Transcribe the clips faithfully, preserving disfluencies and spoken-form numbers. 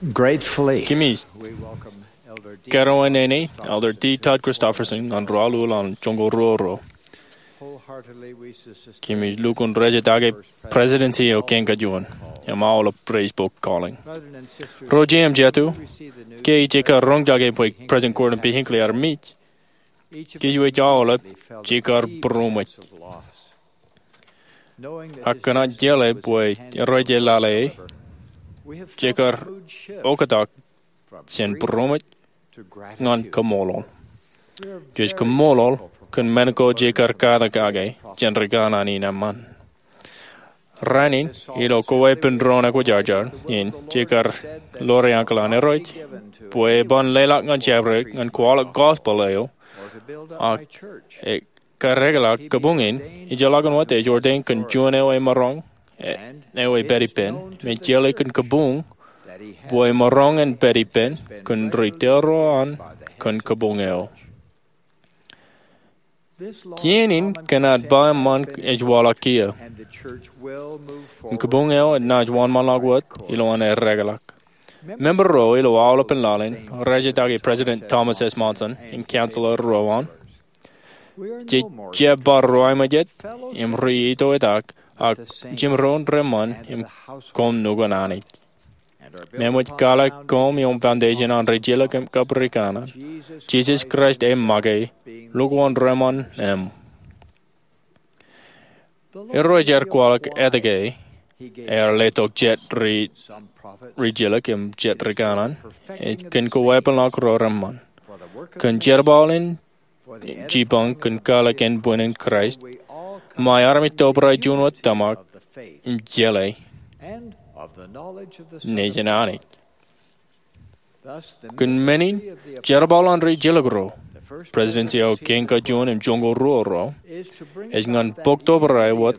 Gratefully, Kōmij we welcome Elder D. kōrā eo ṇe, Elder D. Todd Christofferson, ñan ro aolep an joñoul ruo ro. Wholeheartedly, we sincerely Kōmij lukkuun rejetaake Presidency eo kein kajuon im aolep raisbok calling. Brethren and sisters, Ro jet im jatū, ke ij kar roñjake bwe President Gordon B. Hinckley ear mej, kōj wōj aolep jekar būroṃōj. Ak kōn an jeḷā bwe Irooj ear lale e, jekar oktak jān būroṃōj ñan kaṃṃoolol. Jej kaṃṃoolol kōn men ko jekar katak kake jān rikōṇaan in eṃṃan. Rainin, ilo koweepen doon ekwōjarjar in, jekar ḷoor ankilōk an Irooj bwe eban leḷọk ñan jabdewōt ñan kwaḷọk gospel eo ak ekar ekḷọk kabuñ in, ejjeḷọkin wōt ej ordain kōn juon eo emaroñ, eo ej pād ippān, im ej jeḷā kōn kabuñ bwe emaroñ in pād ippān kōn ri tōre an kōn kabuñ eo. Kien in kōn aō ba eṃṃan ej waḷọk kiiō. Im kabuñ eo enaaj wōnṃaanḷọk wōt ilowaan aer ekḷọk. Member ro ilo aolepān laḷ in rejetaake President Thomas S. Monson im counselor ro an. Jej jab bar ro aiboojoj im ri-itoitak, ak jimdoon reṃṃan im koṃ nukun Anij. Im eṃōj kwaḷọk koṃ ioon foundation an rijilōk im kab rikōṇaan, Jisōs Kraist e make, lukkuun reṃṃan eṃ. Irooj ear kwaḷọk etke ear letok jet ri, rijilōk im jet rikōṇaan, ej kōn koweepen ḷọk ro reṃṃan. Kōn jerbal in jipañ kōn kwaḷọk ānbwin in Kraist, ṃae armej tobrai juon wōt tōmak im jeḷā nejin Anij. Kōn men in, jerbal an rijilōk ro, Presidency eo kein kajuon im joñoul ruo ro, ej ñan bōk tobrai wōt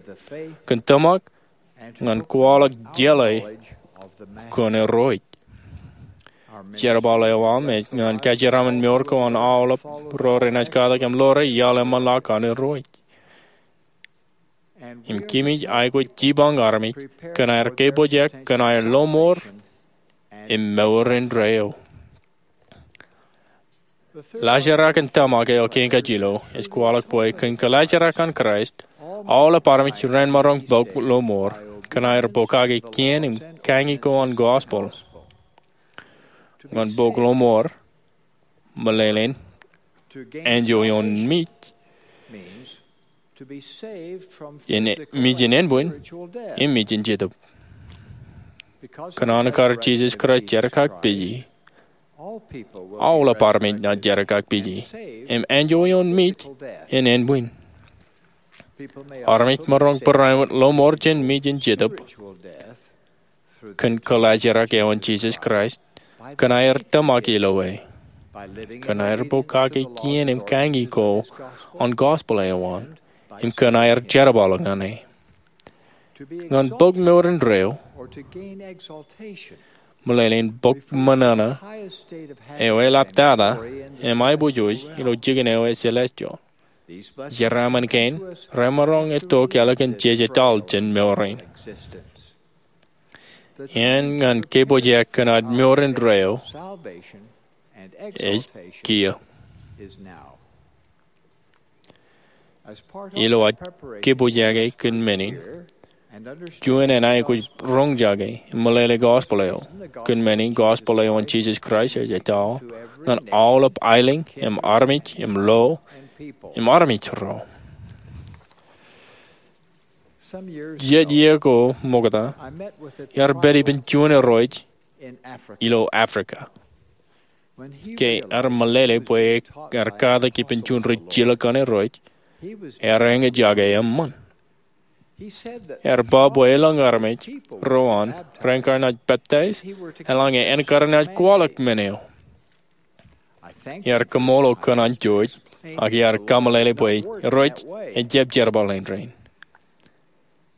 kōn tōmak ñan kwaḷọk jeḷā kōn Irooj. Jerbal eo aṃ ej ñan kajeraṃṃan mour ko an aolep ro renaaj katak im ḷoor e iaḷ eṃṃanḷọk an Irooj. Im kōmij aikuj jipañ armej kōn aer kōpooj kōn aer lọmọọr im mour indeeo. Laajrak in tōmak eo kein kajjilōk ej kwaḷọk bwe kōn kōlaajrak an Kraist, aolep armej renmaroñ bōk lọmọọr kōn aer bōk kake kien im kañi ko an gospel. Ñan bōk lọmọọr, meḷeḷein, enjoy ioon mej, mejin ānbwin, im mejin jetōb. Kōn an kar Jisōs Kraist jerkakpeje, aolep armej naaj jerkakpeje im enjoy ioon mej in ānbwin. Armej maroñ barāinwōt lọmọọr jān mej in jetōb kōn kōlaajrak eo an Jisōs Kraist, kōn aer tōmak ilo e, kōn aer bōk kake kien im kañi ko an gospel eo an, im kōn aer jerbal ñan e. Ñan bōk mour indeeo, meḷeḷein bōk ṃōṇōṇō eo eḷaptata im aiboojoj ilo jikin eo ej celestial. Jeraaṃṃan kein remaroñ itok ālikin jej etal jān mour in. Āne ñan kōpooj kōn ad mour indeeo ej kiiō. Ilo ad kōpooj kōn men in, juon in aikuj roñjake im meḷeḷe gospel eo, kōn men in gospel eo an Jisōs Kraist ej etal ñan aolep aelōñ im armej im lo im armej ro. Jet iiō ko ṃokta, iar pād ippān juon irooj ilo Africa. Ke ear meḷeḷe bwe ear katak ippān juon rijilōk an Irooj, ear eñjake eṃṃan. Ear ba bwe elōñ armej ro an ren kar naaj peptaij eḷaññe en kar naaj kwaḷọk men eo. Iar kaṃṃoolol kōn an George, ak iar kameḷeḷe bwe Irooj ejjab jerbal in rainin.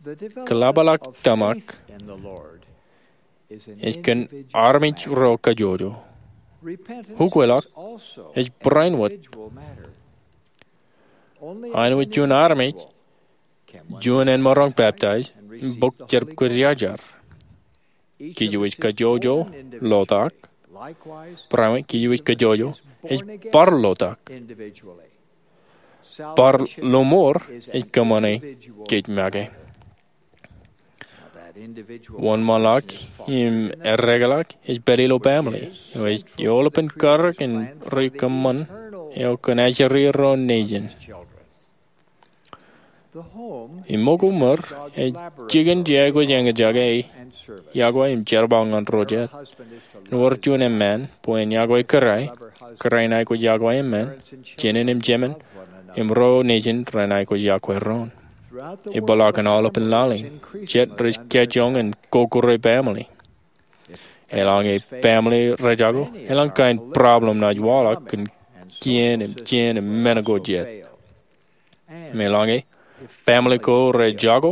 Kōḷapḷọk tōmak ej kōn armej ro kajjojo. Ukweḷọk ej barāinwōt. Āinwōt juon armej, juon en maroñ peptaij im bōk jerkakpeje. Kōjwōj kajjojo lotak. Barāinwōt kōjwōj kajjojo ej bar lotak. Bar lọmọọr ej kōṃṃane kōj make. Wōnṃaanḷọk im eddekḷọk ej pād ilo baaṃle eo ej eolepen karōk in ri kōṃṃan eo kōn ajri ro nejin. Im ṃōko ṃōr ej jikin jeaikuj eñjake yokwe im jerbal ñan ro jet. Ewōr juon emān bwe en yokwe kōrā, kōrā en aikuj yokwe emān, jenin im jemān, im ro nejin ren aikuj yokwe doon. Epeḷḷọk in aolepān laḷ in, jet rej kajjioñ in kokore baaṃle. Eḷaññe baaṃle rejako, elōñ kain problem naaj waḷọk kōn kien im jien im men ko jet. Im eḷaññe baaṃle ko rejako,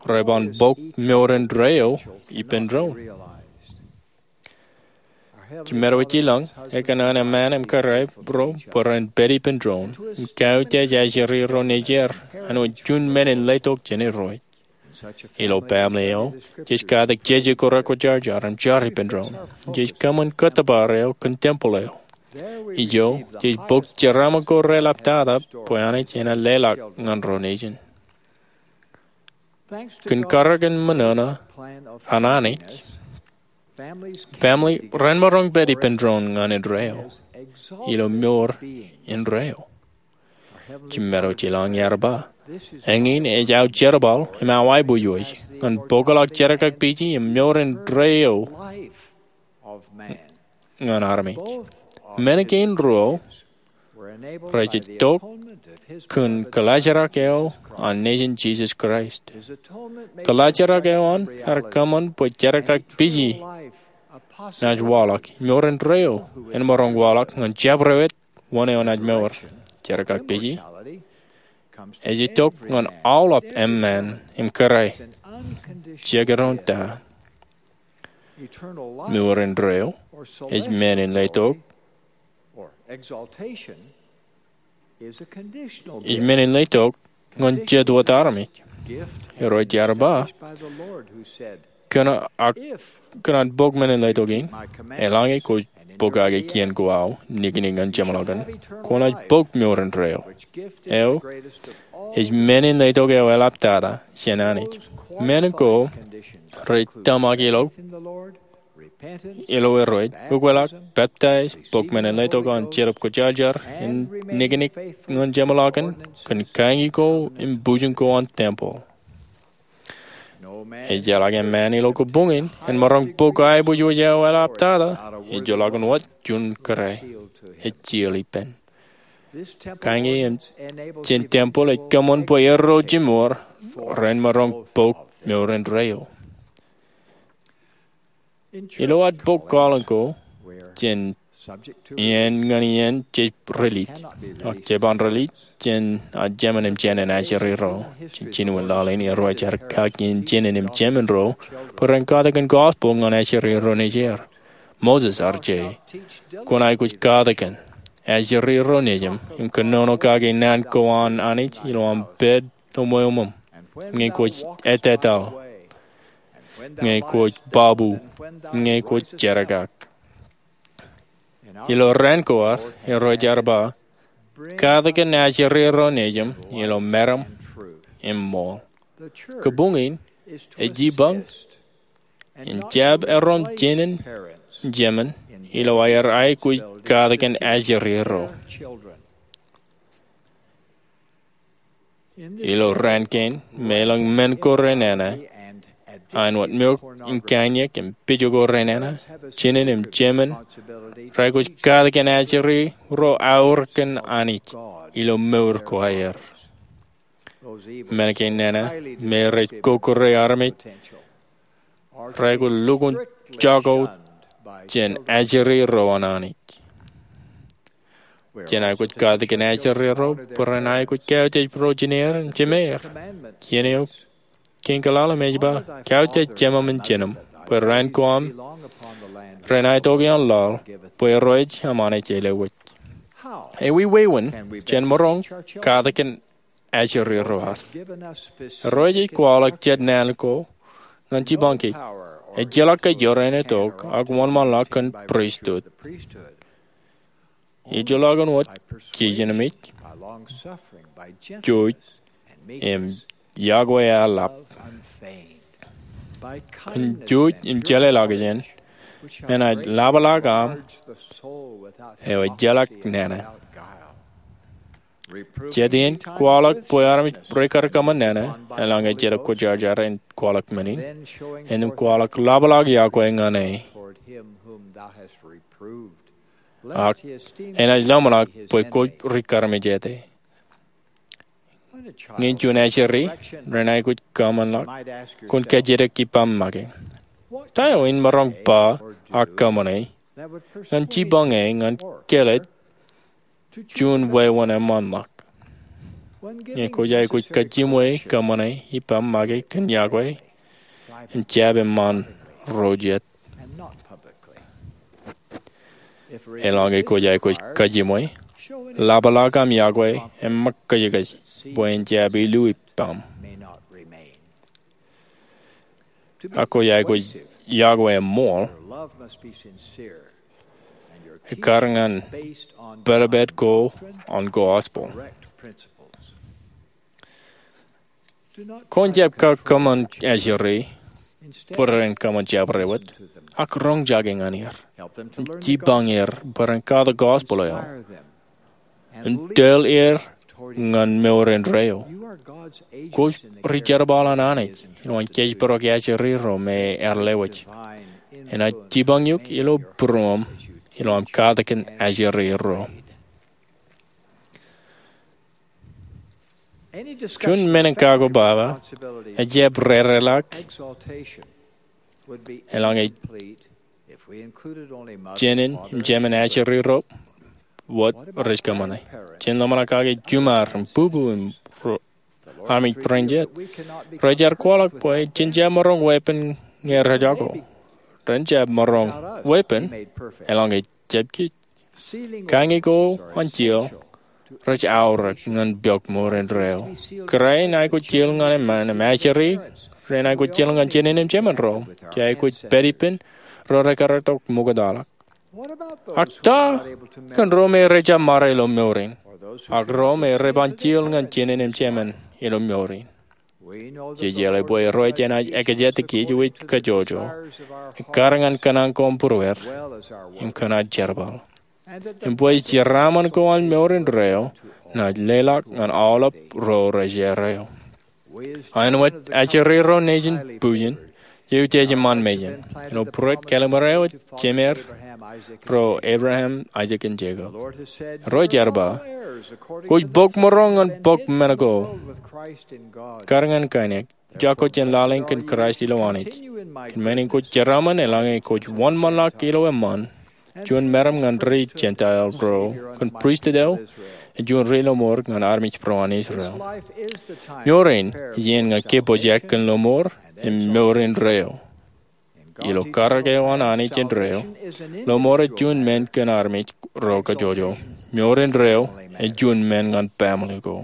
reban bōk mour indeeo ippān doon. Jimeadow ej ilọñ ekōṇaan emān im kōrā ro bwe ren pād ippān doon im kautiej ajri ro nejier āinwōt juon men in letok jān Irooj. Ilo baaṃle eo, jej katak jeje ko rekwōjarjar im jar ippān doon. Jej kōṃṃan kōttōpar eo kōn tempel eo. Ijo, jej bōk jeraaṃṃan ko reḷaptata bwe Anij enaaj leḷọk ñan ro nejin. Kōn karōk in ṃōṇōṇō an Anij, baaṃle ren maroñ pād ippān doon ñan indeeo ilo mour indeeo. Jimeadow ej ilọñ earba. Eñin ej aō jerbal im aō aiboojoj ñan bōkḷọk jerkakpeje im mour indeeo ñan armej. Men kein ruo rej itok kōn kōḷaajrak eo an Nejin Jisōs Kraist. Kōḷaajrak eo an ear kōṃṃan bwe jerkakpeje naaj waḷọk, mour indeeo en maroñ waḷọk ñan jabdewōt wōn eo naaj mour. Jerkakpeje ej itok ñan aolep emān im kōrā, jekdọọn ta. Mour indeeo ej men in letok ej men in letok ñan jet wōt armej. Irooj ear ba, kōṇaan bōk men in letok in, eḷaññe kwōj bōkake kien ko aō im niknik ñan jeṃḷọkin, kwōnaaj bōk mour indeeo. Eo ej men in letok eo eḷaptata jān Anij. Men ko rej tōmak ilo ilo Irooj, ukweḷọk, peptaij, bōk men in letok an Jetōb Kwōjarjar, im niknik ñan jeṃḷọkin, kōn kañi ko im bujen ko an tempel. Ejjeḷọk emān ilo kabuñ in en maroñ bōk aiboojoj eo eḷaptata ejjeḷọkin wōt juon kōrā ej jilōk ippān. Kañi jān tempel ej kōṃṃan bwe erro jimor ren maroñ bōk mour indeeo. Ilo ad bōk kwaḷọk ko jān iien ñan iien jej rilij, ak jeban rilij jān ad jemān im jān ajri ro. Jān jinen laḷ in Irooj ear kaki jān jinen im jemān ro bwe ren katakin gospel ñan ajri ro nejier. Moses ear je, kwōn aikuj katakin ajri ro nejin im kōnono kake naan ko an Anij ilo aṃ pād ilo ṃweo ṃōṃ, ñe kwōj ettetaḷ, ñe kwōj babu, ñe kwōj jerkak. Ilo raan ko ad, Irooj ear ba, katakin ajri ro nejin ilo meram im ṃool. Kabuñ in ej jipañ in jab erom jinen jemān ilo aer aikuj katakin ajri ro. Ilo raan kein, im elōñ men ko renana, āinwōt mour in kaiñe im pijo ko renana, jinen im jemān reaikuj katakin ajri ro aorōk kōn Anij ilo mour ko aer. Men kein nana, im rej kokore armej, reaikuj lukkuun jako jān ajri ro an Anij. Jen aikuj katakin ajri ro bwe ren aikuj kautiej ro jineer im jimeer. Iien eo kein kwaḷọk im ej ba, kautiej jemān im jinōn bwe raan ko aṃ ren aetoke ioon laḷ, bwe Irooj aṃ Anij ej lewōj. Ewi wāween jen maroñ katakin ajri ro ad? Irooj ej kwaḷọk jet naan ko ñan jipañ kōj. ejjeḷọk ke jorrāān etok ak wōnṃaanḷọk kōn pristut. Ejjeḷọkin wōt kijenmej, jouj, im yokwe aō lap. Kōn jouj im jeḷāḷọkjeṇ, enaaj ḷapḷọk aṃ eo ejjeḷọk nana. Jet iien kwaḷọk bwe armej rekarkōṃṃan nana, eḷaññe jet kwōjarjar in kwaḷọk men in, innām kwaḷọk ḷapḷọk yokwe ñan e. Ak enaaj lōmṇak bwe kwōj rikarmejāte. Ñe juon ajri rein aikuj kōṃṃanḷọk, kwōn kajjitōk ippaṃ make, Ta eo in maroñ ba ak kōṃṃane ñan jipañ e ñan kāālōt juon wāween eṃṃanḷọk? Ñe kwōj aikuj kajiṃwe kōṃṃane ippaṃ make kōn yokwe, en jab eṃṃan ro jet. Eḷaññe kwōj aikuj kajiṃwe, ḷapḷọk aṃ yokwe im ṃōk kōjkōj bwe en jab ilu ippaṃ. Ak kwōj aikuj yokwe im ṃool, ekkar ñan pād pād ko an gospel. Kwōn jab kakōṃṃan ajri bwe ren kōṃṃan jabdewōt, ak roñjake ñan er im jipañ er bwe ren katak gospel eo im tōl er ñan mour indeeo. Kwōj ri jerbal an Anij eo an kōjparok ajri ro me ear lewōj. Enaaj jipañ eok ilo būruōṃ ilo aṃ katakin ajri ro. Juon men in kakobaba ejjab rereḷọk eḷaññe jenin im jemen ajri ro wōt rej kōṃṃane. Jen ḷōmṇak kake juṃaer im bubu im armej bwe ren jet. Rej ar kwaḷọk bwe jen jab maroñ weeppān ñe rejako. Ren jab maroñ weeppān eḷaññe jab kij. Kañe ko an jiel rej aorōk ñan pok mour indeeo. Kōrā in aikuj jiel ñan eṃṃan im ajri rein aikuj jiel ñan jenin im jemen ro. Jej aikuj pād ippān ro rekar itok ṃoktaḷọk. Ak ta kōn ro me rej jab ṃare ilo mour in, ak ro me re ban jiel ñan jenin im jemen ilo mour in? Jej jeḷā bwe Irooj enaaj ekjātikej wōj kajjojo, ekkar ñan kōṇaan ko im būrueir, im kōn ad jerbal. Im bwe jeraaṃṃan ko an mour indeeo enaaj leḷọk ñan aolep ro rej erreo. Āinwōt ajri ro nejin bujen, jej utiej iṃaan mejān ilo būruod kallim̧ur eo jemeir ro Ebream, Aisak im Jekob. Irooj ear ba, kwōj pok mour eo ñan pok men ko, ekkar ñan kaineik, jako jān lale in kōn Kraist ilo Anij. Kōn men in kwōj jeraaṃṃan eḷaññe kwōj wōnṃaanḷọk ilo eṃṃan juon meram ñan ri Jentael ro kōn pristut eo, im juon ri lọmọọr ñan armej ro an Israel. Mour in iien ñan kōpooj kōn lọmọọr im mour indeeo. Ilo karōk eo an Anij indeeo, lọmọọr ej juon men kōn armej ro kajjojo. Mour indeeo ej juon men ñan baaṃle ko.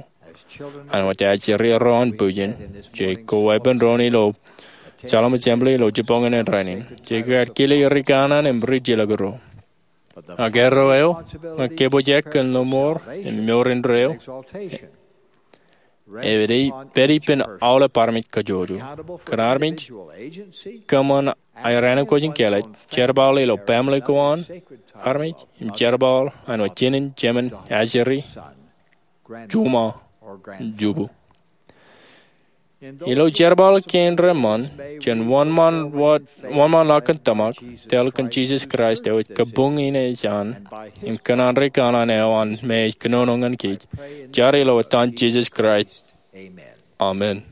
Āinwōt ajri ro an bujen, jej koweeppān doon ilo Salem Assembly ilo jibboñōn in rainin. Jej kar kile ri kanaan im ri jilkinro. Ak erreo eo ñan kōpooj kōn lọmọọr im mour indeeo ej pād ippān aolep armej kajjojo. Kōn armej kōṃṃan aer ankooj in kāālōt, jerbal ilo baaṃle ko an armej, im jerbal āinwōt jenin, jemen, ajri, juṃae, jubu. Ilo jerbal kein reṃṃan jān wōnṃaanḷọk kōn tōmak, tōl kōn Jisōs Kraist eo ej kabuñ in ej an, im kōṇaan ri kanaan eo an me ej kōnono ñan kōj, ij jar ilo etan Jisōs Kraist, amen.